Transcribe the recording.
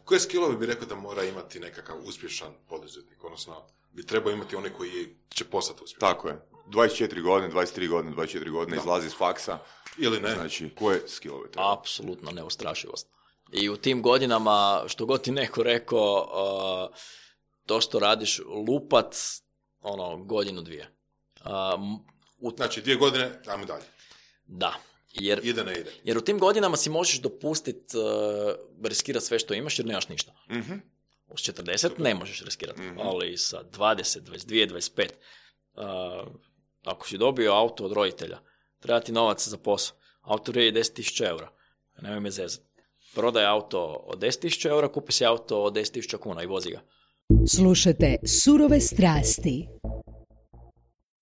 Koje skillove bi rekao da mora imati nekakav uspješan poduzetnik, odnosno bi trebao imati onaj koji će postati uspješan? Tako je. 24 godine, 24 godine izlazi iz faksa. Ili ne? Znači, koje skillove treba? Apsolutno neustrašivost. I u tim godinama, što god ti neko rekao, to što radiš lupac, godinu, dvije. Znači, 2 godine, ajmo dalje. Da. Ide, ne ide. Jer u tim godinama si možeš dopustiti riskirati sve što imaš jer nemaš ništa. Mhm. Uz 40 ne možeš riskirati, ali sa 20, 22, 25, ako si dobio auto od roditelja, treba ti novac za posao. Auto vrijedi 10.000 eura. Nemoj me zezati. Prodaj auto od 10.000 eura, kupi si auto od 10.000 kuna i vozi ga. Slušajte Surove strasti.